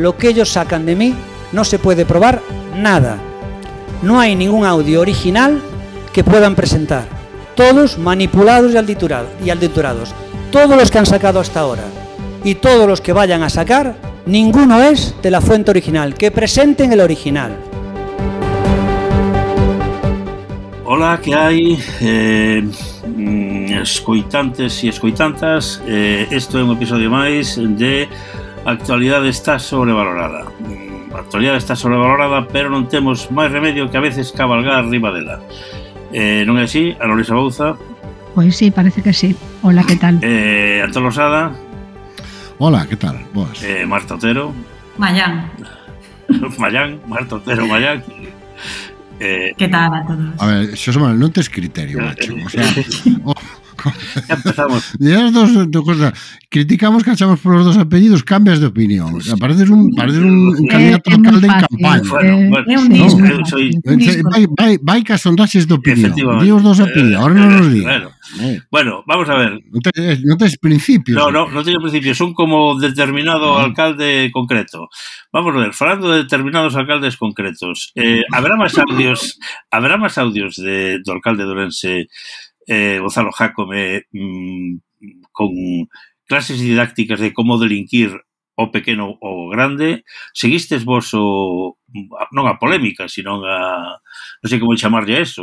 lo que ellos sacan de mí no se puede probar nada. No hay ningún audio original que puedan presentar. Todos manipulados y adulterados. Todos los que han sacado hasta ahora y todos los que vayan a sacar, ninguno es de la fuente original. Que presenten el original. Hola, que hai? Escoitantes e escoitantas, isto é un episodio máis de Actualidade está sobrevalorada. A actualidade está sobrevalorada, pero non temos máis remedio que a veces cabalgar arriba dela. Non é así, Ana Luisa Bouza? Pois sí, parece que sí. Hola, que tal? Antón Losada? Hola, que tal? Boas. Marta Otero? Mayán. Marta Otero, Mayán. Que tal a todos? A ver, Xosé Manuel, non tes criterio, macho. O sea, ya empezamos. Criticamos que achamos por los dos apellidos, cambias de opinión. O sea, pareces un candidato a alcalde en campaña. Vai que as sondaxes de opinión. Di os dos apellidos, ahora non nos digas. Bueno, vamos a ver. Non tes principios. No teño principios, son como determinado alcalde concreto. Vamos a ver, falando de determinados alcaldes concretos, haberá máis audios do alcalde de Ourense, Gonzalo Jácome, con clases didácticas de como delinquir o pequeno ou grande. Seguistes vos non a polémica, sino non sei como chamarlle a eso,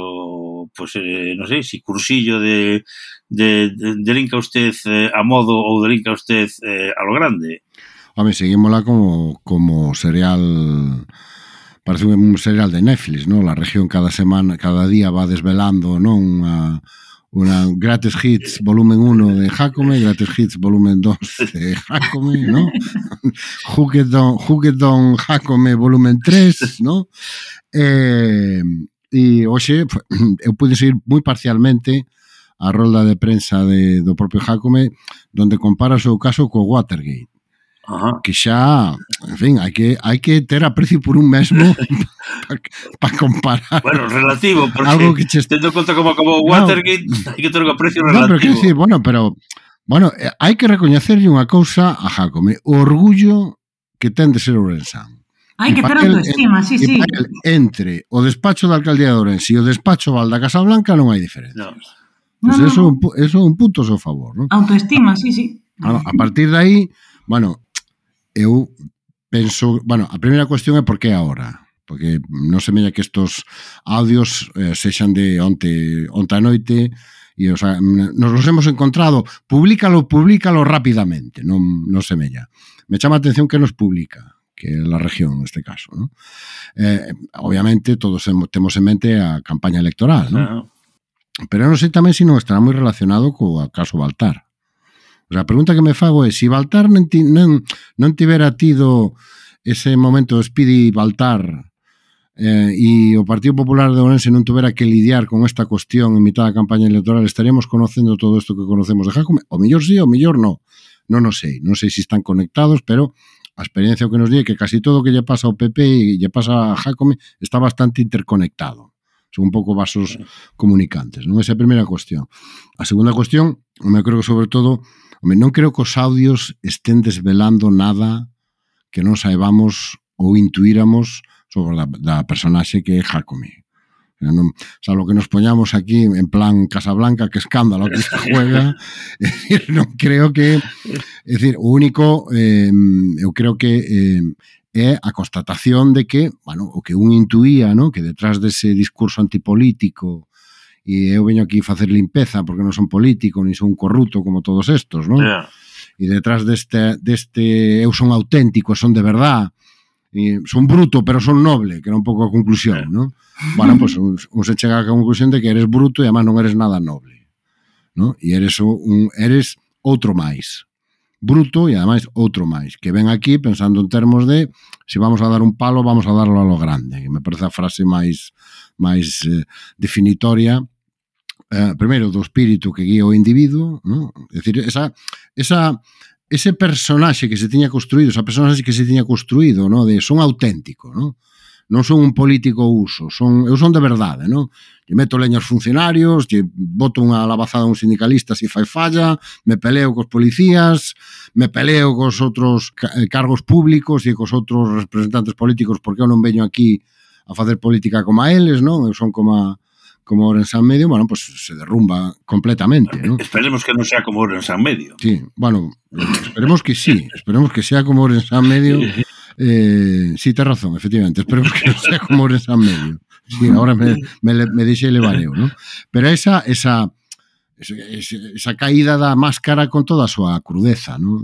pois non sei, si cursillo de delinca usted a modo ou delinca usted a lo grande. Home, seguímola como serial, parece un serial de Netflix, ¿no? La región cada día va desvelando, ¿no? Una Greatest Hits volumen 1 de Jácome, Greatest Hits volumen 2 de Jácome, ¿no? Juguetón Jácome volumen 3, ¿no? E hoxe eu pude seguir moi parcialmente a rolda de prensa do propio Jácome, donde compara o seu caso co Watergate. Ajá. Que xa, en fin, hai que ter aprecio por un mesmo para comparar. Bueno, relativo, porque tendo conta como acabou Watergate, hai que ter un aprecio relativo. No, pero que decir, bueno, hai que recoñecerlle unha cousa a Jácome, o orgullo que ten de ser ourensán. Hai que ter autoestima, sí. Entre o despacho da alcaldía de Ourense e o despacho Val da Casa Blanca non hai diferencia. Pues eso é un punto a seu favor, ¿no? Autoestima, sí. Bueno, a partir de aí, eu penso, a primeira cuestión é por que agora, porque non semella que estos audios sexan de onte a noite e, o sea, nos los hemos encontrado, públicalo rápidamente, non semella. Me chama a atención que nos publica, que é la región neste caso, ¿no? Obviamente todos temos en mente a campaña electoral, ¿no? Pero non sei tamén se non estará moi relacionado co caso Baltar. O sea, a pregunta que me fago é, se Baltar non tivera tido ese momento Speedy Baltar e o Partido Popular de Ourense non tuvera que lidiar con esta cuestión en mitad da campaña electoral, estaríamos conocendo todo isto que conocemos de Jácome? O mellor sí, o mellor non. Non o sei. Non sei se están conectados, pero a experiencia que nos di é que casi todo o que lle pasa ao PP e lle pasa a Jácome está bastante interconectado. Son un pouco vasos comunicantes, non? Esa é a primeira cuestión. A segunda cuestión, eu creo que sobre todo, non creo que os audios estén desvelando nada que non saibamos ou intuíramos sobre da personaxe que é Jácome. Lo que nos poñamos aquí en plan Casablanca, que escándalo que se juega, non creo que... É dicir, o único, eu creo que é a constatación de que, o que un intuía, ¿no? Que detrás dese discurso antipolítico, e eu veño aquí a facer limpeza porque non son político, ni son corrupto como todos estos, ¿no? E detrás deste eu son auténtico, son de verdad, e son bruto, pero son noble, que era un pouco a conclusión, ¿no? Bueno, pues un se chega a conclusión de que eres bruto e además non eres nada noble, ¿no? E eres outro máis. Bruto e ademais outro máis, que ven aquí pensando en termos de se vamos a dar un palo, vamos a darlo a lo grande, que me parece a frase máis definitoria, primeiro, do espírito que guía o individuo, ¿no? É dicir, ese personaxe que se tiña construído, esa personaxe que se tiña construído, ¿no? De son auténtico, ¿no? non son un político uso, eu son de verdade, non? Lle meto leña aos funcionarios, lle boto unha labazada a un sindicalista se fai falla, me peleo cos policías, me peleo cos outros cargos públicos e cos outros representantes políticos porque eu non veño aquí a facer política como a eles, non? Eu son como Ourense en Medio, bueno, pues se derrumba completamente, ¿no? Esperemos que non sea como Ourense en Medio. Sí, bueno, esperemos que sí, esperemos que sea como Ourense en Medio. Sí, tes razón, efectivamente, esperemos que non sea como Ourense en Medio. Sí, ahora me deixei levar eu, ¿no? Pero esa caída da máscara con toda a súa crudeza, ¿no?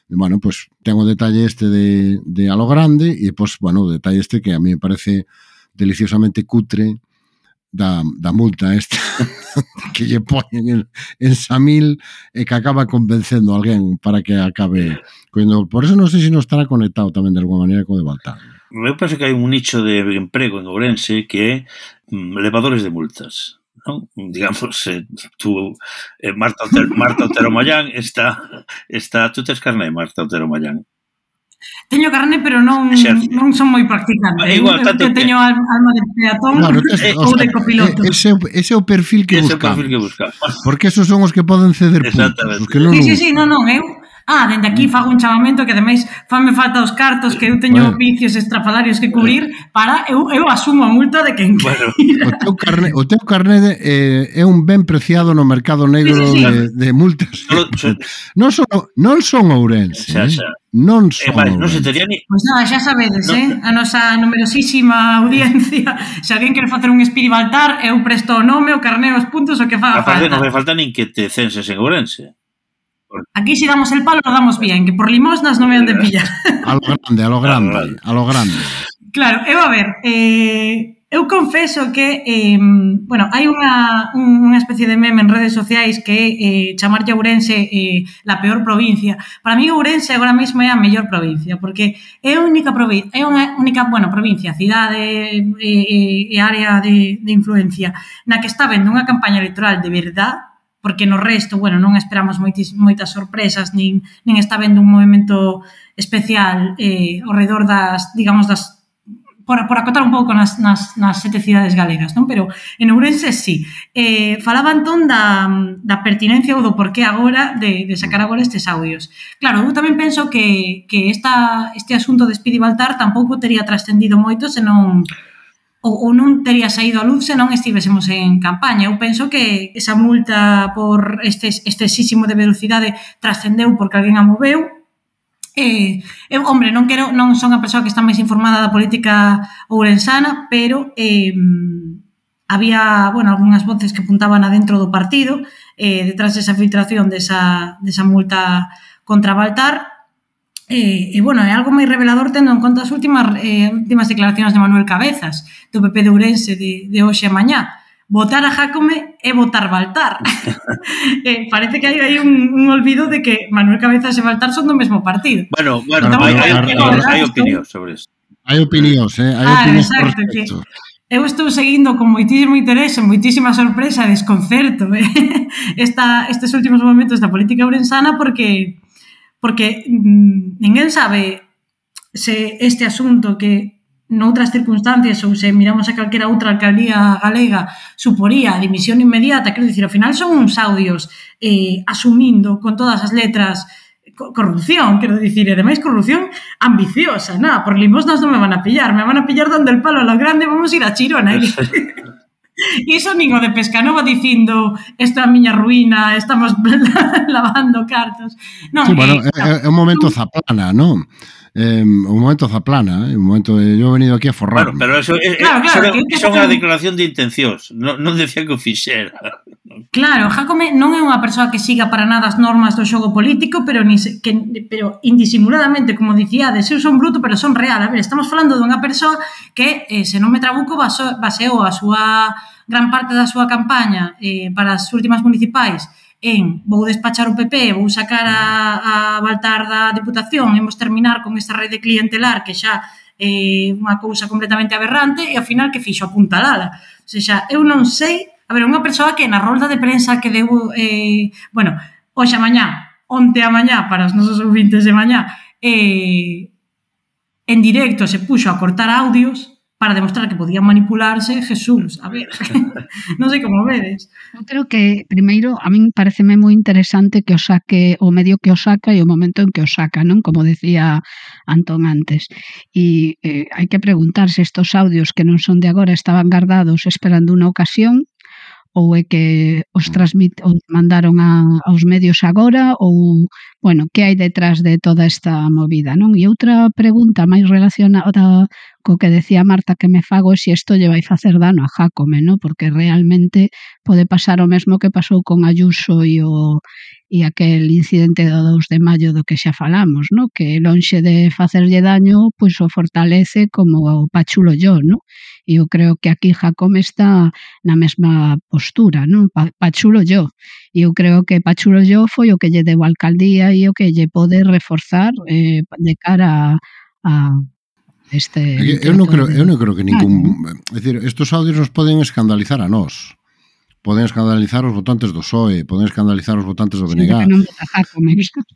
Bueno, pues ten o detalle este de a lo grande e, pues, bueno, o detalle este que a mí me parece deliciosamente cutre da multa esta que lle poñen en Samil e que acaba convencendo a alguén para que acabe coñendo. Por eso non sei se non estará conectado tamén de alguma maneira co de Baltar. Eu penso que hai un nicho de emprego en Ourense que é elevadores de multas, non? Digamos, tú, Marta Otero Mollán está... Tú tes carné, Marta Otero Mollán? Teño carné, pero non son moi practicante. Igual, eu teño alma de peatón ou de copiloto. Ese é o perfil que buscamos. Porque esos son os que poden ceder puntos. Sí, non, eu... dende aquí fago un chamamento que ademais fanme falta os cartos que eu teño vicios estrafalarios que cubrir para eu asumo a multa de quen queira. O teu carné é un ben preciado no mercado negro de multas. Non son Ourense, non son Ourense. Pois nada, xa sabedes, a nosa numerosísima audiencia, se alguén quere facer un Speedy Baltar, eu presto o nome, o carné, os puntos, o que faga falta. Non vai falta nin que te censes en Ourense. Aquí si damos el palo, lo damos bien, que por limosnas non me han de pillar. A lo grande. Claro, a ver, eu confeso que, hai unha especie de meme en redes sociais que chamarlle a Ourense la peor provincia. Para mí Ourense agora mesmo é a mellor provincia, porque é unha única provincia, cidade e área de influencia, na que está vendo unha campaña electoral de verdade, porque no resto, non esperamos moitas sorpresas, nin está vendo un movimento especial ao redor por acotar un pouco nas 7 cidades galegas, non? Pero en Ourense sí. Falaban entón da pertinencia ou do porqué agora de sacar agora estes audios. Claro, eu tamén penso que este asunto de Speedy Baltar tampouco tería trascendido moito se non... ou non tería saído a luz se non estivésemos en campaña. Eu penso que esa multa por excesísimo de velocidade trascendeu porque alguén a moveu. Non son a persoa que está máis informada da política ourensana, pero había, algunhas voces que apuntaban adentro do partido detrás desa filtración desa multa contra Baltar. É algo moi revelador tendo en conta as últimas declaracións de Manuel Cabezas do PP de Ourense de hoxe a mañá. Votar a Jácome é votar Baltar. Parece que hai un olvido de que Manuel Cabezas e Baltar son do mesmo partido. Hai opinións sobre isto. Hai opinións, exacto, que eu estou seguindo con moitísimo interese, moitísima sorpresa, desconcerto estes últimos momentos da política ourensana porque ninguén sabe se este asunto que noutras circunstancias ou se miramos a calquera outra alcaldía galega suporía a dimisión inmediata, quero dicir, ao final son uns audios asumindo con todas as letras corrupción, quero dicir, e ademais corrupción ambiciosa, por limosnas non me van a pillar dando el palo a lo grande, vamos a ir a Chirona. Iso nin o de Pescanova dicindo esta é a miña ruína, estamos lavando cartos. É un momento zaplana, non? Un momento zaplana, un momento de yo he venido aquí a forrar. Pero eso é unha declaración de intencións, non decía que o fixera. Claro, Jácome non é unha persoa que siga para nada as normas do xogo político, pero indisimuladamente, como dicíades, eu son bruto, pero son real. A ver, estamos falando dunha persoa que, se non me trabuco, baseou a súa gran parte da súa campaña para as últimas municipais vou despachar o PP, vou sacar a Baltar da Deputación, imos terminar con esta rede clientelar que xa é unha cousa completamente aberrante e ao final que fixo apuntalala. O sea, eu non sei, a ver, unha persoa que na rolda de prensa que deu, hoxe a mañá, onte a mañá, para os nosos ouvintes de mañá, en directo se puxo a cortar audios para demostrar que podían manipularse, Jesús, a ver, non sei como vedes. Eu creo que, primeiro, a min pareceme moi interesante que o saque o medio que o saca e o momento en que o saca, non? Como decía Antón antes. E hai que preguntar se estos audios que non son de agora estaban guardados esperando unha ocasión ou é que os mandaron aos medios agora ou, bueno, que hai detrás de toda esta movida, non? E outra pregunta máis relacionada co que decía Marta que me fago é se isto lle vai facer dano a Jácome, non? Porque realmente pode pasar o mesmo que pasou con Ayuso e aquel incidente do 2 de maio do que xa falamos, non? Que lonxe de facerlle daño, pois o fortalece como o Pachulo yo, non? E eu creo que aquí Jácome está na mesma postura, non? Pachulo yo. E eu creo que Pachulo yo foi o que lle deu a alcaldía e o que lle pode reforzar de cara a este... Eu non creo que ningún... É dicir, estos audios nos poden escandalizar a nós. Poden escandalizar os votantes do PSOE, poden escandalizar os votantes do BNG.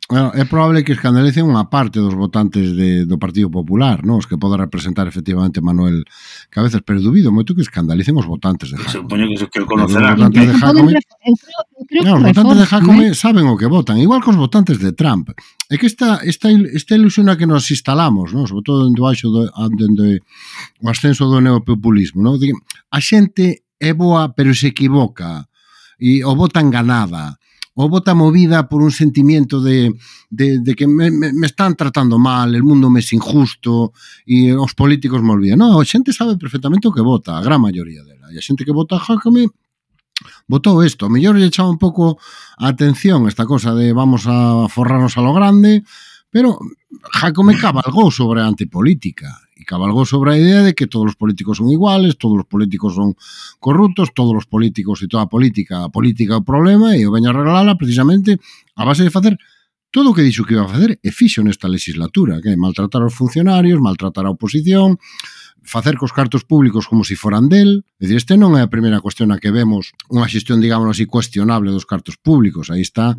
Bueno, é probable que escandalicen unha parte dos votantes do Partido Popular, non? Os que poda representar efectivamente Manuel Cabezas, pero dubido moito que escandalicen os votantes de Jácome. Supoño que o conocerán. Os votantes de Jácome, os votantes de Jácome saben o que votan, igual que os votantes de Trump. É que esta ilusión a que nos instalamos, non? Sobre todo dentro o ascenso do neopopulismo, non? A xente é boa, pero se equivoca, e o vota enganada, o vota movida por un sentimiento de que me están tratando mal, el mundo me es injusto, e os políticos me olvidan. Non, a xente sabe perfectamente o que vota, a gran maioría dela, e a xente que vota a Jácome votou isto. A mellor lle chama un pouco a atención esta cosa de vamos a forrarnos a lo grande, pero Jácome cabalgou sobre a antipolítica e cabalgou sobre a idea de que todos os políticos son iguales, todos os políticos son corruptos, todos os políticos e toda a política é o problema, e o veño a arreglala precisamente a base de facer todo o que dixo que iba a facer e fixo nesta legislatura, que é maltratar aos funcionarios, maltratar a oposición, facer cos cartos públicos como se foran del. É dicir, este non é a primeira cuestión a que vemos unha xestión, digamos así, cuestionable dos cartos públicos. Aí está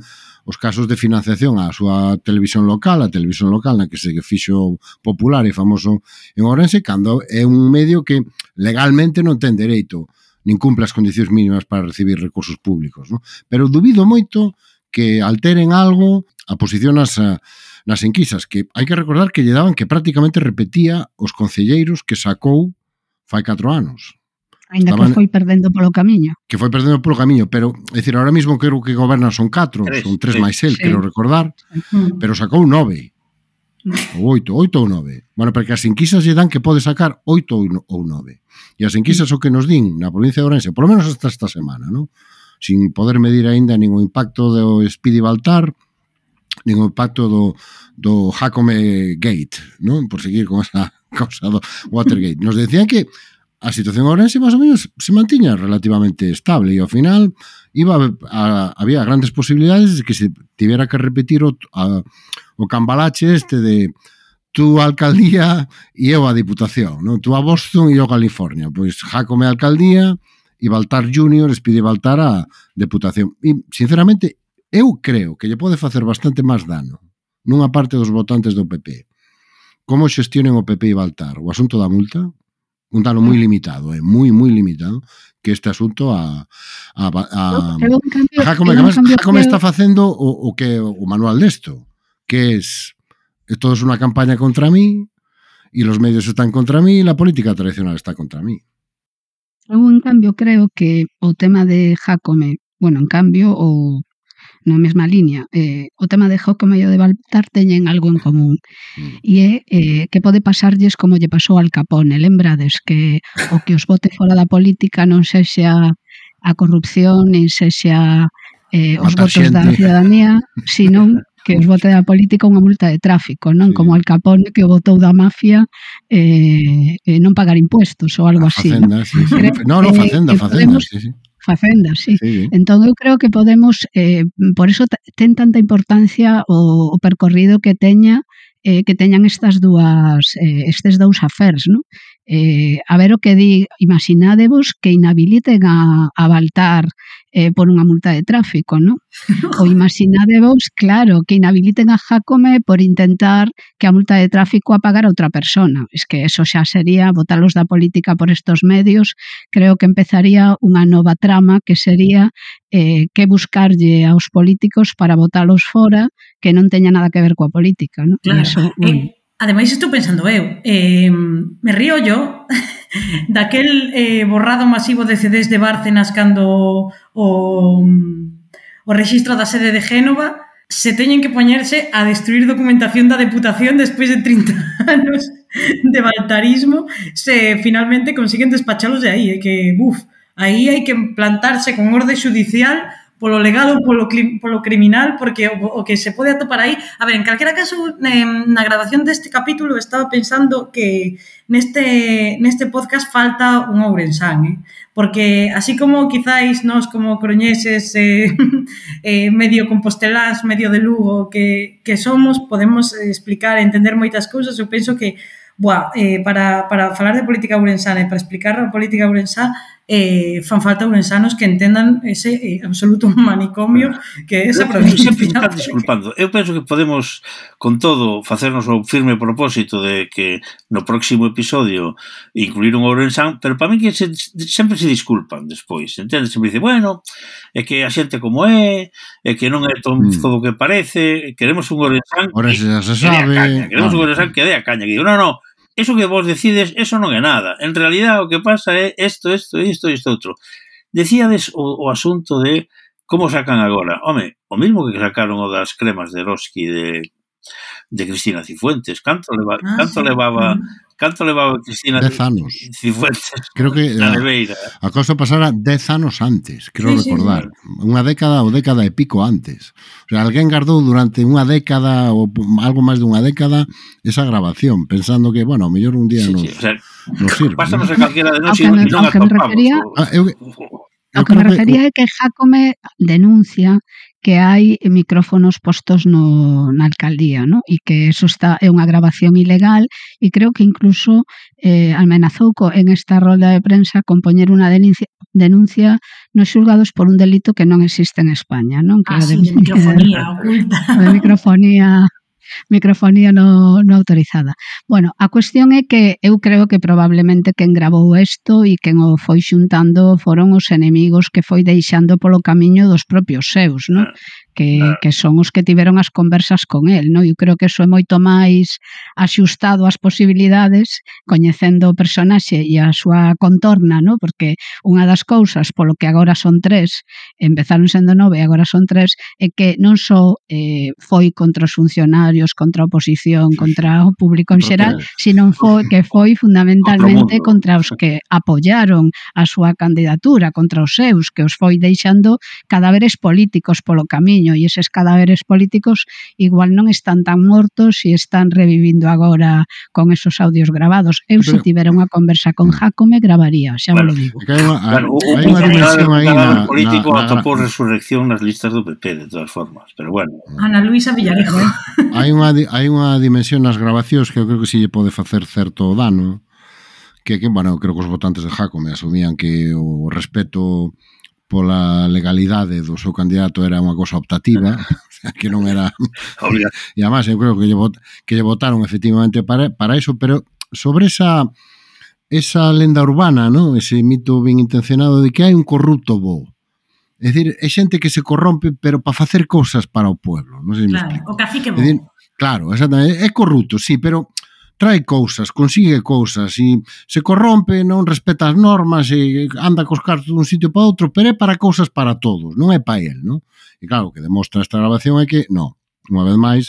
os casos de financiación á súa televisión local, a televisión local na que se fixo popular e famoso en Ourense, cando é un medio que legalmente non ten dereito nin cumple as condicións mínimas para recibir recursos públicos, non? Pero dubido moito que alteren algo a posición nas enquisas, que hai que recordar que lle daban que prácticamente repetía os concelleiros que sacou fai 4 anos. Ainda que foi perdendo polo camiño. Que foi perdendo polo camiño, pero, é dicir, ahora mesmo creo que gobernan son 4, son 3 máis el, quero recordar, pero sacou 9. Ou 8 ou 9. Bueno, porque as enquisas lle dan que pode sacar 8 ou 9. E as enquisas o que nos din na provincia de Ourense, polo menos hasta esta semana, non? Sin poder medir aínda nin o impacto do Speedy Baltar, nin o impacto do Jácome Gate, non? Por seguir con esa causa do Watergate. Nos decían que a situación Ourense máis ou menos se mantiña relativamente estable e ao final había grandes posibilidades de que se tivera que repetir o cambalache este de tú a alcaldía e eu a diputación, non? Tú a Boston e eu a California. Pois Jácome a alcaldía e Baltar Junior pide Baltar a deputación. E, sinceramente, eu creo que lle pode facer bastante máis dano nunha parte dos votantes do PP como xestionen o PP e Baltar o asunto da multa, un dano moi limitado, moi limitado, que este asunto a Jácome está facendo o que o manual desto, que es todo es unha campaña contra mí e los medios están contra mí e la política tradicional está contra mí. Eu, en cambio, creo que o tema de Jácome, bueno, en cambio, ou na mesma línea, o tema de Jácome e o de Baltar teñen algo en común, e é que pode pasarlles como lle pasou al Capone, lembrades que o que os bote fora da política non sexa a corrupción, nin sexa os votos da ciudadanía, senón que os bote da política unha multa de tráfico, non? Como Al Capone que o botou da mafia non pagar impuestos ou algo así, non? Facenda, sí. Facenda, sí. Entón eu creo que podemos, por eso ten tanta importancia o percorrido que teñan estes dous affairs, non? a ver o que di, imaginádevos que inhabiliten a Baltar por unha multa de tráfico, non? Ou imaginádevos, claro, que inhabiliten a Jácome por intentar que a multa de tráfico a pagar a outra persona. Es que eso xa sería botalos da política por estos medios. Creo que empezaría unha nova trama que sería que buscarlle aos políticos para botalos fora que non teña nada que ver coa política, non? Claro. Eso, Ademais, estou pensando me río yo daquel borrado masivo de CDs de Bárcenas cando o rexistro da sede de Génova se teñen que poñerse a destruir documentación da Deputación despois de 30 anos de baltarismo se finalmente consiguen despachalos de aí, que, aí hai que plantarse con orde judicial polo legal ou polo criminal, porque o que se pode atopar aí... A ver, en calquera caso, na grabación deste capítulo estaba pensando que neste podcast falta un ourensán, porque así como quizáis nós como coruñeses medio composteláns, medio de Lugo que somos, podemos explicar e entender moitas cousas. Eu penso que para falar de política ourensana e para explicar a política ourensá fan falta ourensanos que entendan ese absoluto manicomio que é esa provincia. Sempre está disculpando. Eu penso que podemos, con todo, facernos o firme propósito de que no próximo episodio incluir un ourensán, pero para mí que sempre se disculpan despois, entendes? Sempre dice, bueno, é que a xente como é que non é todo o que parece, queremos un ourensán queremos un ourensán que dé a caña, que digo, no, eso que vos decides, eso non é nada. En realidad, o que pasa é isto outro. Decíades o asunto de como sacan agora. Home, o mismo que sacaron o das cremas de Eroski de Cristina Cifuentes. Canto levaba Cristina 10 anos. Cifuentes? Creo que a cosa pasara 10 anos antes, creo recordar. Unha década ou década e pico antes. O sea, alguén guardou durante unha década ou algo máis dunha década esa grabación, pensando que, bueno, ao mellor un día nos sirve. Pásanos a calquera de nós e non atopamos. O que me refería é que Jácome denuncia que hai micrófonos postos na alcaldía, ¿no? E que eso é unha grabación ilegal e creo que incluso amenazou en esta rolda de prensa con poñer unha denuncia nos xulgados por un delito que non existe en España, non? Que de microfonía oculta. De microfonía non autorizada. Bueno, a cuestión é que eu creo que probablemente quen gravou isto e quen o foi xuntando foron os enemigos que foi deixando polo camiño dos propios seus, non? Que son os que tiveron as conversas con el, non? Eu creo que eso é moito máis axustado ás posibilidades, coñecendo o personaxe e a súa contorna, non? Porque unha das cousas polo que agora son 3, empezaron sendo 9 e agora son 3, é que non só foi contra os funcionarios, contra a oposición, contra o público en xeral, sino que foi fundamentalmente contra os que apoyaron a súa candidatura, contra os seus, que os foi deixando cadáveres políticos polo camiño, e eses cadáveres políticos igual non están tan mortos e están revivindo agora con esos audios grabados. Eu se tivera unha conversa con Jácome gravaría, xa vos lo digo. Hai unha dimensión aí na político atopou resurrección nas listas do PP de todas formas, pero bueno. Ana Luisa Villarejo. Hai unha dimensión nas grabacións que eu creo que si lle pode facer certo dano, que bueno, creo que os votantes de Jácome asumían que o respeto pola legalidade do seu candidato era unha cosa optativa, que non era... E además, eu creo que lle votaron efectivamente para iso, pero sobre esa lenda urbana, ¿no? Ese mito ben intencionado de que hai un corrupto bo. É dicir, é xente que se corrompe, pero para facer cousas para o pueblo. Non sei se me explico. O cacique bo. Claro, exactamente. É corrupto, sí, pero trae cousas, consigue cousas e se corrompe, non respeta as normas e anda cos cartos dun sitio para outro, pero é para cousas para todos, non é para el, non? E claro, o que demostra esta grabación é que, non, unha vez máis,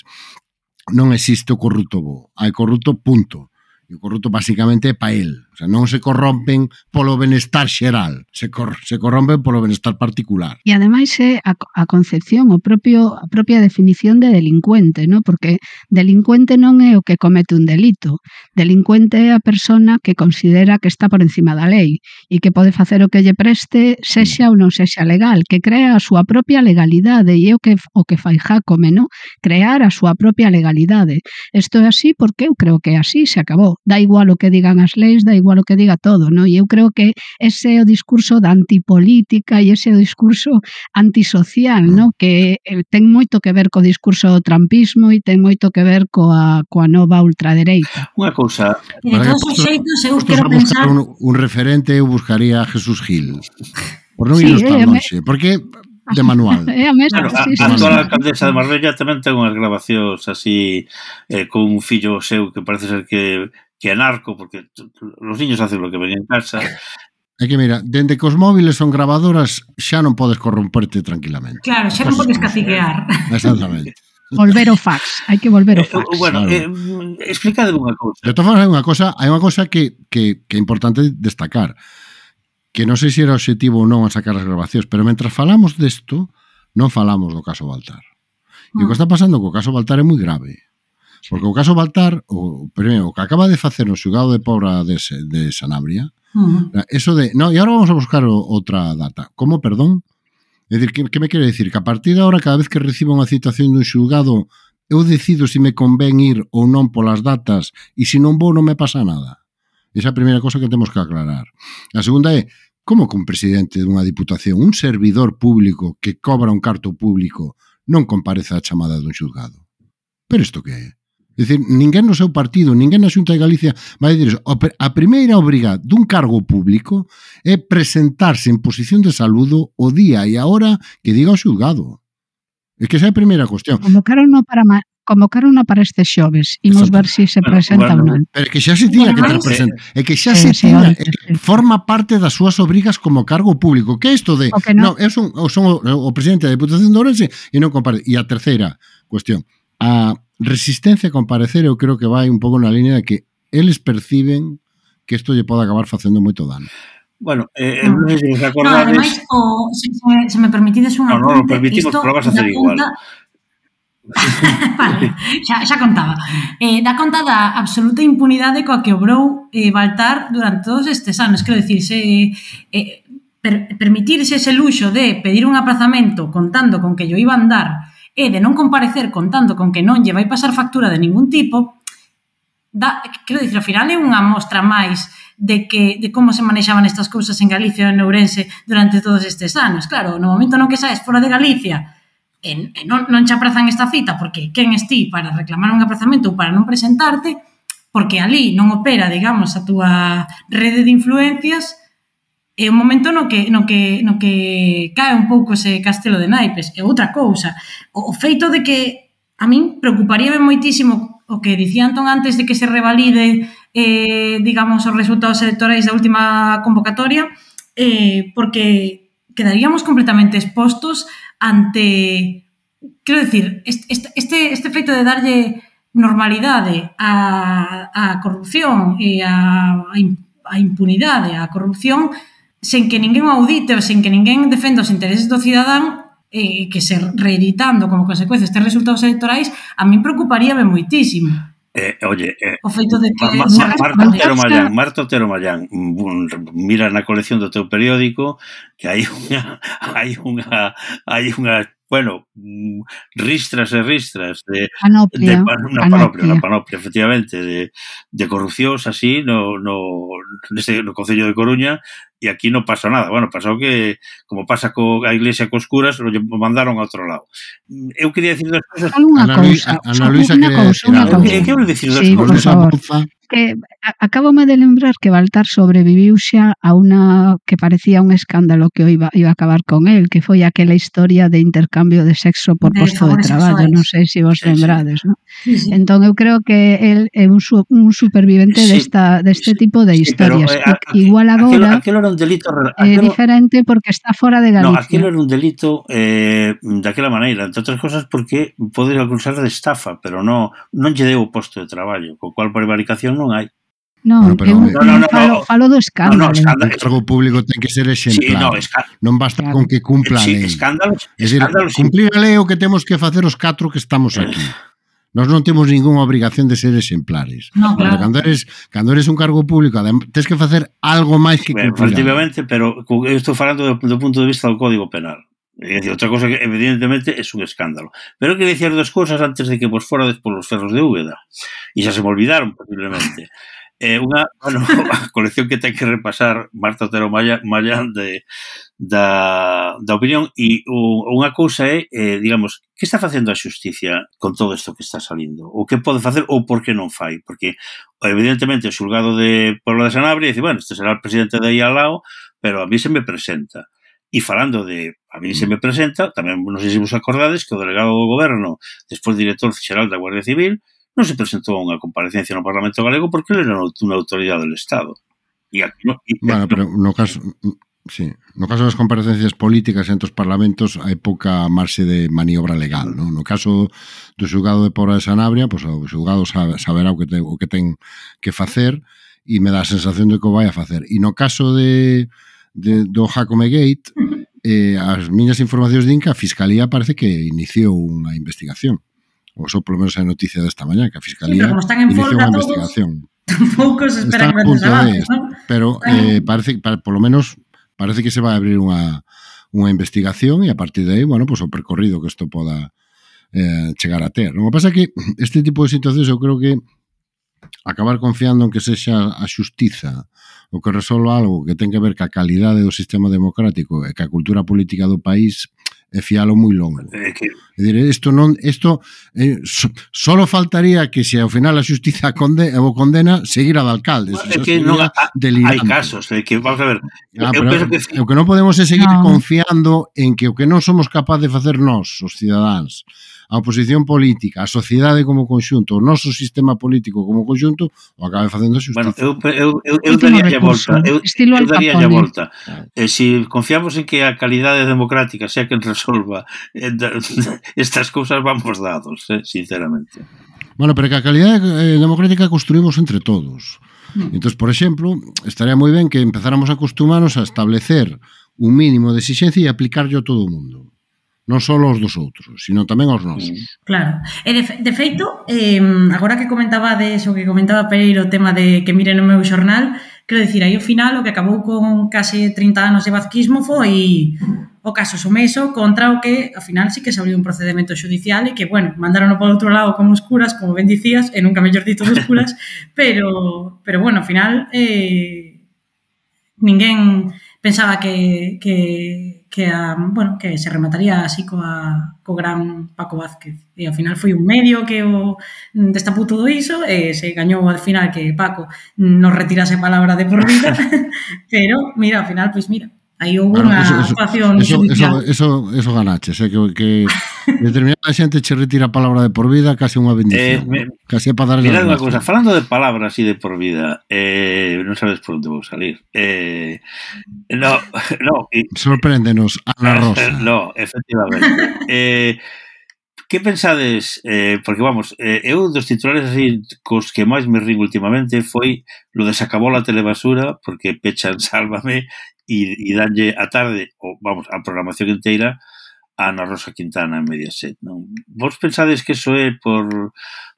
non existe o corrupto bo, hai corrupto, punto. E o corrupto basicamente é para el. O sea, non se corrompen polo benestar xeral, se corrompen polo benestar particular. E ademais é a concepción, a propia definición de delincuente, ¿no? Porque delincuente non é o que comete un delito. Delincuente é a persona que considera que está por encima da lei e que pode facer o que lle preste, sexa ou non sexa legal, que crea a súa propia legalidade e é o que fai Jácome, ¿no? Crear a súa propia legalidade. Isto é así porque eu creo que así se acabou. da igual o que digan as leis, da igual o que diga todo, non? E eu creo que ese é o discurso da antipolítica e ese é o discurso antisocial, non? Que ten moito que ver co discurso do trampismo e ten moito que ver coa nova ultradereita. Unha cousa... E de todos os xeitos, eu quero a buscar pensar... un referente, eu buscaría a Jesús Gil. Por non Sí, irnos tan longe. Porque de manual. É a mesma, Claro, sí, a sí, actual sí. alcaldesa de Marbella tamén ten unhas grabacións así con un fillo seu que parece ser que é narco, porque os niños hacen lo que ven en casa. É que mira, dende que os móviles son grabadoras xa non podes corromperte tranquilamente. Claro, xa non podes caciquear. Exactamente. Volver ao fax, hai que volver ao fax. Bueno, claro. explícade unha cousa. De todas formas, hai unha cosa que é importante destacar, que non sei se era objetivo ou non a sacar as grabacións, pero mentras falamos desto, non falamos do caso Baltar. E o que está pasando co caso Baltar é moi grave. Porque o caso Baltar, o que acaba de facer no xulgado de Pobra de Sanabria, eso de, no, e agora vamos a buscar outra data. Como, perdón? É dicir, que me quere dicir? Que a partir de agora, cada vez que recibo unha citación dun xulgado, eu decido se me convén ir ou non polas datas, e se non vou non me pasa nada. Esa é a primeira cosa que temos que aclarar. A segunda é, como que un presidente dunha diputación, un servidor público que cobra un carto público, non comparece á chamada dun xulgado? Pero isto que é? É dicir, ninguén no seu partido, ninguén na Xunta de Galicia vai dicir iso. A primeira obriga dun cargo público é presentarse en posición de saludo o día e a hora que diga o xulgado. É que esa é a primeira cuestión. Convocaron para este xoves. Imos ver se se presenta ou non. Pero é que xa se tiña que ter presente. É que xa se tiña, forma parte das súas obrigas como cargo público. Que é isto de, non, eu son o presidente da Diputación de Ourense e non compare. E a terceira cuestión, a resistencia a comparecer, eu creo que vai un pouco na línea de que eles perciben que isto lle pode acabar facendo moito dano. Bueno, non sei se vos acordades... No, ademais, se me permitides unha non lo permitimos, pero vas a hacer igual. Vale, xa contaba. Dá conta da absoluta impunidade coa que obrou Baltar durante todos estes anos. Quero dicir, permitirse ese luxo de pedir un aprazamento contando con que yo iba a andar e de non comparecer contando con que non lle vai pasar factura de ningún tipo, quero dicir, ao final é unha mostra máis de como se manexaban estas cousas en Galicia e en Ourense durante todos estes anos. Claro, no momento no que saes fora de Galicia non che aprazan esta cita porque quen esti para reclamar un aprazamento ou para non presentarte, porque ali non opera, digamos, a túa rede de influencias, é un momento no que cae un pouco ese castelo de naipes. E outra cousa, o feito de que a min preocuparíame moitísimo o que dicía Antón antes de que se revalide digamos, os resultados electorais da última convocatoria, porque quedaríamos completamente expostos ante, quero dicir, este feito de darlle normalidade á corrupción e á impunidade, á corrupción, sen que ninguén o audite ou sen que ninguén defenda os intereses do cidadán, que se reeditando como consecuencia estes resultados electorais, a min preocuparíame moitísimo. Oye, o feito de que Marta Otero Mallán, mira na colección do teu periódico que hai unha bueno, ristras e ristras de panoplia, efectivamente, de corrupcións así no Concello de Coruña, e aquí non pasa nada. Bueno, pasou que, como pasa a Iglesia cos curas, lo mandaron a outro lado. Eu quería decir dos cosas... Ana Luisa quería decir algo. Que eu decir dos cosas? Que acabome de lembrar que Baltar sobreviviu xa a unha que parecía un escándalo que iba a acabar con el, que foi aquela historia de intercambio de sexo por posto de traballo, non sei se vos lembrades, non? Sí. Entón eu creo que el é un supervivente deste tipo de historias. Igual agora aquilo era un delito é diferente porque está fora de Galicia. No, aquilo era un delito daquela maneira, entre outras cosas porque podería acusar de estafa, pero non lle deu o posto de traballo, co cual prevaricación non hai. Non, falo do escándalo. O cargo público ten que ser exemplar. Non basta con que cumpla a lei. Cumplir a lei é o que temos que facer os 4 que estamos aquí. Nós non temos ninguna obrigación de ser exemplares. No, claro. Cando eres un cargo público, tens que facer algo máis que cumplir. Efectivamente, pero eu estou falando do punto de vista do Código Penal. É dicir, outra cosa que evidentemente é un escándalo. Pero queria dicir 2 cosas antes de que vos forades polos ferros de Úbeda. E xa se me olvidaron, posiblemente. a colección que ten que repasar Marta Otero Mallán da opinión, e unha cousa é, digamos, que está facendo a xusticia con todo isto que está salindo? O que pode facer ou por que non fai? Porque, evidentemente, o xulgado de Puebla de Sanabria dice, bueno, este será o presidente de aí ao lado, pero a mí se me presenta. E falando de a mí se me presenta, tamén non sei se vos acordades que o delegado do goberno, despois director xeral da Guardia Civil, non se presentou a unha comparecencia no Parlamento Galego porque ele era unha autoridade do Estado. Bueno, pero no caso das comparecencias políticas entre os parlamentos hai pouca marxe de maniobra legal, non? No caso do xulgado de Puebla de Sanabria, pois o xulgado saberá o que ten que facer e me dá a sensación de que o vai a facer. E no caso do Jacome Gate, as miñas informacións din que a Fiscalía parece que iniciou unha investigación. Ou só polo menos a noticia desta mañá, que a Fiscalía iniciou unha investigación. Tampouco se esperan grandes avances, ¿no? Pero polo menos parece que se vai abrir unha investigación e a partir de aí, bueno, pues o percorrido que isto poda chegar a ter. O que pasa é que este tipo de situacións eu creo que acabar confiando en que sexa a xustiza o que resolva algo que ten que ver ca calidade do sistema democrático e ca cultura política do país é fialo moi longo. É dicir, solo faltaría que se ao final a xustiza o condena seguira de alcalde. É que non hai casos, que vamos a ver. O que non podemos é seguir confiando en que o que non somos capaz de facer nós, os cidadáns, a oposición política, a sociedade como conxunto, o noso sistema político como conxunto, o acabe facendo a xustiza. Bueno, eu daría a volta. Eu daría a volta. Se confiamos en que a calidade democrática sea quen resolva estas cousas, vamos dados, sinceramente. Bueno, pero que a calidade democrática construímos entre todos. Entón, por exemplo, estaría moi ben que empezáramos a acostumarnos a establecer un mínimo de exigencia e aplicarlo a todo o mundo. Non só aos dos outros, sino tamén aos nosos. Claro. E de feito, agora que comentaba Pereiro o tema de que miren o meu xornal, quero dicir, aí ao final o que acabou con case 30 anos de vazquismo foi o caso Someso contra o que, ao final, sí que se abriu un procedimento xudicial e que, bueno, mandaron por outro lado como os curas, como ben dicías, e nunca mellor dito dos curas, pero bueno, ao final ninguén pensaba que se remataría así co gran Paco Vázquez. E ao final foi un medio que o destapou todo iso e se gañou ao final que Paco nos retirase a palabra de por vida, pero mira, ao final, pois mira, aí houve unha actuación judicial. Eso ganaches, que determinada xente che retira a palabra de por vida, case unha bendición. Case para darle mirad unha cousa, falando de palabras e de por vida, non sabes por onde vou salir. Sorpréndenos, Ana Rosa. No, efectivamente. Que pensades, porque vamos, eu dos titulares así cos que máis me rin últimamente foi lo de se acabou a telebasura porque pechan Sálvame e danlle a tarde, ou vamos, a programación inteira a Ana Rosa Quintana en Mediaset, non? Vos pensades que eso é por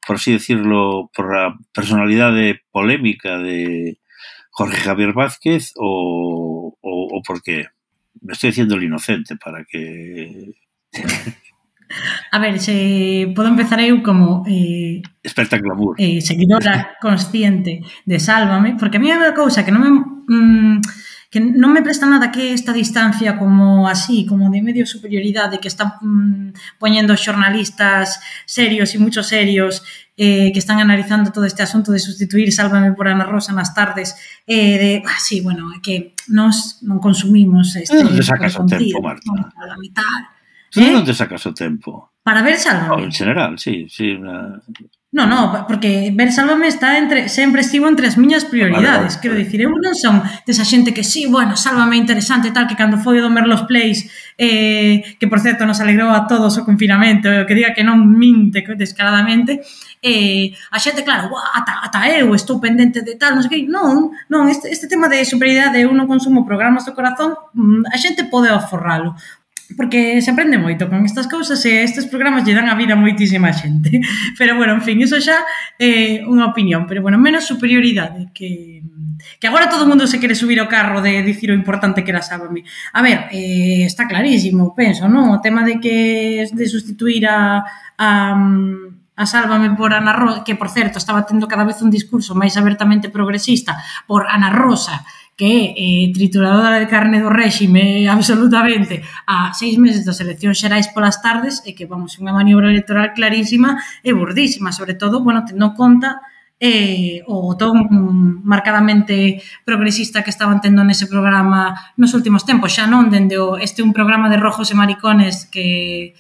así decirlo, por a personalidade polémica de Jorge Javier Vázquez ou por qué? Me estoy diciendo el inocente para que... A ver, se podo empezar eu como experta en glamour, seguidora consciente de Sálvame, porque a mí é unha cousa que non me presta nada que esta distancia como así, como de medio superioridade que están poñendo xornalistas serios e mucho serios que están analizando todo este asunto de sustituir Sálvame por Ana Rosa nas tardes sí, bueno, é que nós non consumimos este non te sacas o tempo, Marta. A mitad. Non te sacas o tempo. Para ver Sálvame? En general, sí. No, porque ver Sálvame sempre estivo entre as miñas prioridades. Quero dicir, eu non son desa xente que sí, bueno, Sálvame interesante, tal, que cando foi o do Merlos Plays, que por certo nos alegrou a todos o confinamento, que diga que non minte descaradamente, a xente, claro, ata eu estou pendente de tal, non sei que, non, este tema de superioridade, eu non consumo programas do corazón, a xente pode aforralo. Porque se aprende moito con estas cousas e estes programas lle dan a vida a moitísima xente. Pero, bueno, en fin, iso xa é unha opinión. Pero, bueno, menos superioridade que agora todo o mundo se quere subir ao carro de dicir o importante que era Sálvame. A ver, está clarísimo, penso, non? O tema de que de sustituir a a Sálvame por Ana Rosa, que, por certo, estaba tendo cada vez un discurso máis abertamente progresista por Ana Rosa, que é trituradora de carne do réxime absolutamente a 6 meses das eleccións xerais polas tardes, e que, vamos, unha maniobra electoral clarísima e burdísima, sobre todo, bueno, tendo en conta o ton marcadamente progresista que estaban tendo nese programa nos últimos tempos, xa non dende un programa de rojos e maricones que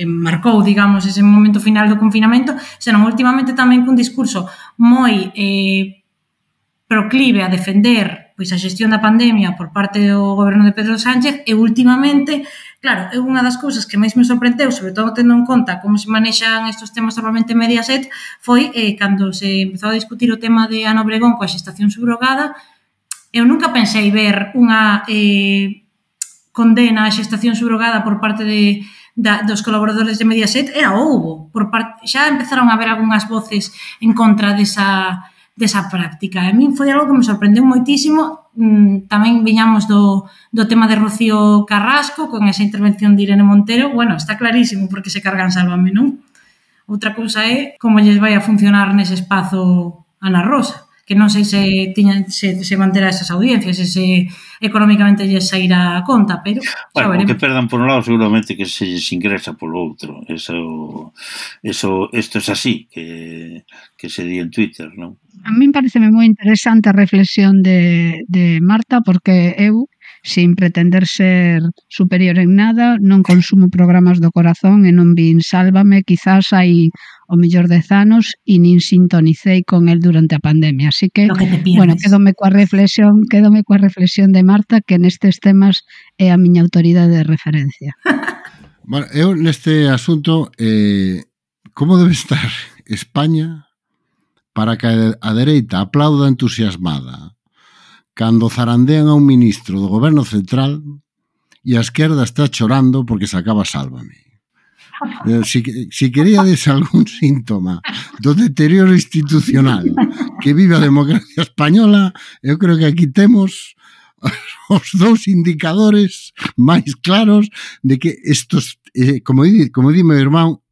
marcou, digamos, ese momento final do confinamento, senón últimamente tamén cun discurso moi proclive a defender pois a xestión da pandemia por parte do goberno de Pedro Sánchez, e últimamente, claro, é unha das cousas que máis me sorprendeu, sobre todo tendo en conta como se manexan estes temas normalmente en Mediaset, foi cando se empezou a discutir o tema de Ana Obregón coa xestación subrogada. Eu nunca pensei ver unha condena á xestación subrogada por parte dos colaboradores de Mediaset, e a houbo. Xa empezaron a haber algunhas voces en contra desa práctica. A min foi algo que me sorprendeu moitísimo. Tamén viñamos do tema de Rocío Carrasco con esa intervención de Irene Montero. Bueno, está clarísimo porque se cargan Sálvame, non? Outra cousa é como lles vai a funcionar nese espazo Ana Rosa, que non sei se manterá esas audiencias, se económicamente lles sairá a conta, pero bueno, o que perdan por un lado seguramente que se lles ingresa polo outro. Isto é así, que se di en Twitter, non? A min pareceme moi interesante a reflexión de Marta, porque eu, sin pretender ser superior en nada, non consumo programas do corazón e non vin Sálvame quizás hai o mellor 10 anos e nin sintonicei con el durante a pandemia. Así que, bueno, quédome coa reflexión de Marta, que nestes temas é a miña autoridade de referencia. Bueno, eu neste asunto, como debe estar España para que a dereita aplauda entusiasmada cando zarandean a un ministro do goberno central e a esquerda está chorando porque se acaba Sálvame. Si queríades algún síntoma do deterioro institucional que vive a democracia española, eu creo que aquí temos os dous indicadores máis claros de que estos, como di meu irmán,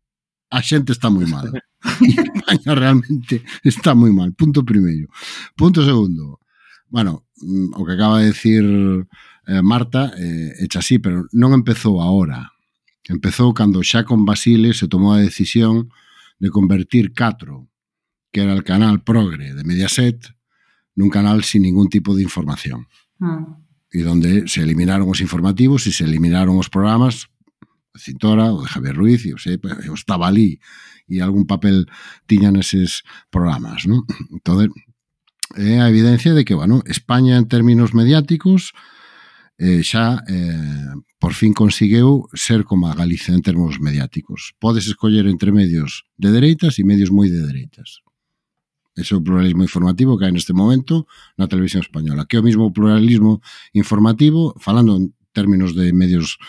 a xente está moi mal. E España realmente está moi mal. Punto primeiro. Punto segundo. Bueno, o que acaba de decir Marta, echa así, pero non empezou agora. Empezou cando xa con Basile se tomou a decisión de convertir 4, que era el canal progre de Mediaset, nun canal sin ningún tipo de información. E donde se eliminaron os informativos e se eliminaron os programas de Cintora ou de Javier Ruiz, e eu estaba ali e algún papel tiñan eses programas, non? Entón, é a evidencia de que, bueno, España en términos mediáticos xa por fin conseguiu ser como a Galicia en termos mediáticos. Podes escoller entre medios de dereitas e medios moi de dereitas. Ese é o pluralismo informativo que hai neste momento na televisión española, que é o mismo pluralismo informativo, falando en términos de medios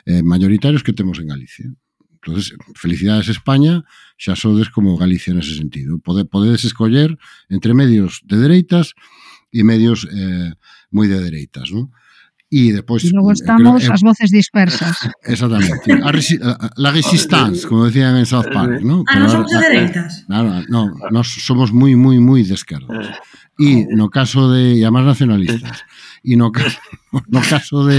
mayoritarios, que temos en Galicia. Entonces, felicidades España, xa sodes como Galicia nese sentido. Podedes escoller entre medios de dereitas e medios moi de dereitas, non? E depois... E logo estamos as voces dispersas. Exactamente. La resistance, como decían en South Park, ¿no? Non somos de dereitas. No, nós somos moi, moi, moi de esquerdas. E no caso de... E además nacionalistas. E no caso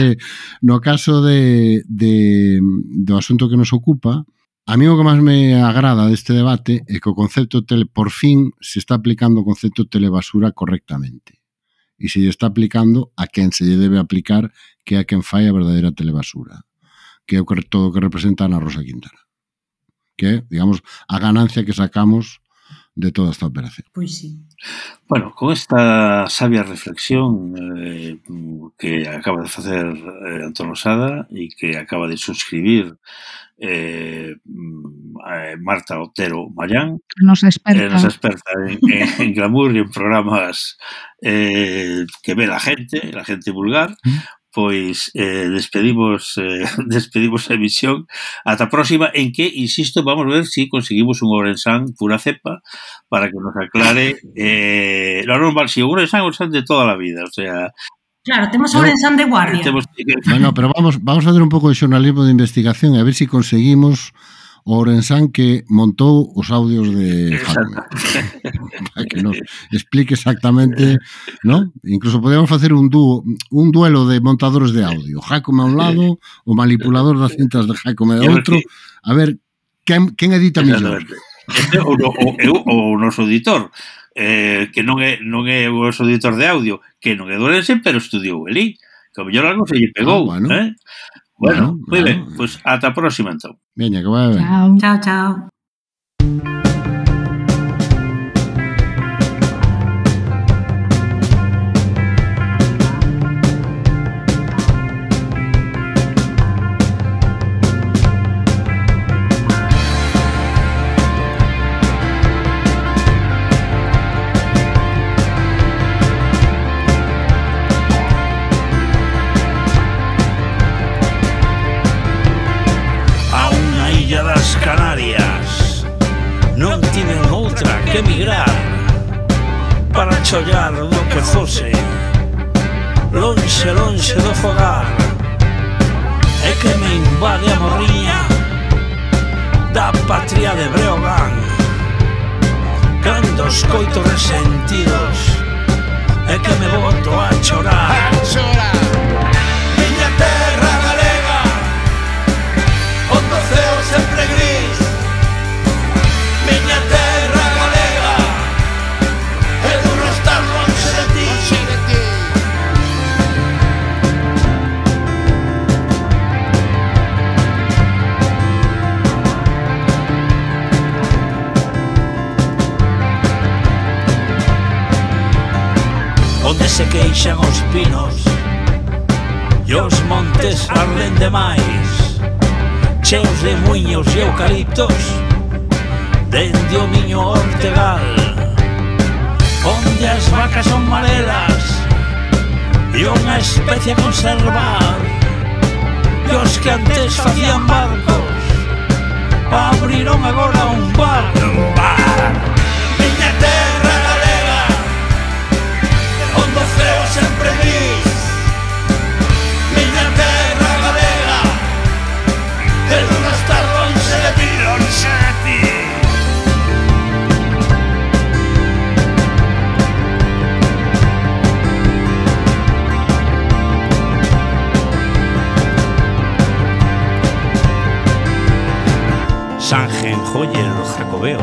do asunto que nos ocupa, a mí o que máis me agrada deste debate é que o concepto por fin se está aplicando o concepto telebasura correctamente. E se lle está aplicando a quen se lle debe aplicar, que é a quen fai a verdadeira telebasura, que é todo o que representa Ana Rosa Quintana, que é, digamos, a ganancia que sacamos de toda esta operación. Pois sí. Bueno, con esta sabia reflexión que acaba de facer Antón Losada e que acaba de suscribir Marta Otero Mallán, nosa experta en glamour e en programas que ve la gente vulgar. Pois despedimos a emisión ata a próxima, en que, insisto, vamos ver si conseguimos un Ourensán pura cepa para que nos aclare lo normal, si un Ourensán de toda la vida, o sea, Claro, temos Ourensán de guardia. Bueno, pero vamos a hacer un pouco de xornalismo de investigación a ver se conseguimos o Ourensán que montou os audios de Jaume. Para que nos explique exactamente, ¿no? Incluso podemos facer un duelo de montadores de audio. Jaume a un lado, o manipulador das cintas de Jaume de outro. A ver, quen edita mellor? O noso editor, que non é o noso editor de audio, que non é de Ourense, pero estudiou ali. Que o mellor algo se lle pegou, Bueno, moi ben, pois ata a próxima, entón. Veña, que vai ben. Chao, chao. Que emigrar para chollar do que fose lonxe, lonxe do fogar é que me invade a morriña da patria de Breogán cando os coito resentidos é que me boto a chorar miña terra galega onde o ceo sempre gris miña terra onde se queixan os pinos e os montes arden demais cheos de muiños e eucaliptos dende o miño Ortegal onde as vacas son marelas e unha especie a conservar e os que antes facían barcos abriron agora un bar miña terra galega onde o ceo sempre gris miña terra galega e non estar lonxe de ti Sanjenjoyer Jacobeo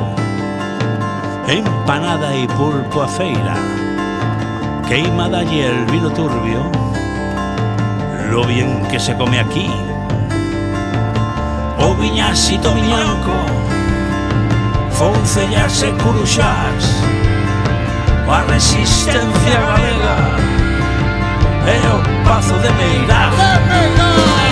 empanada e pulpo a feira queima dalle el vino turbio lo bien que se come aquí o viñasito miñanco foncellas e curuxás a resistencia galega e o pazo de Meirás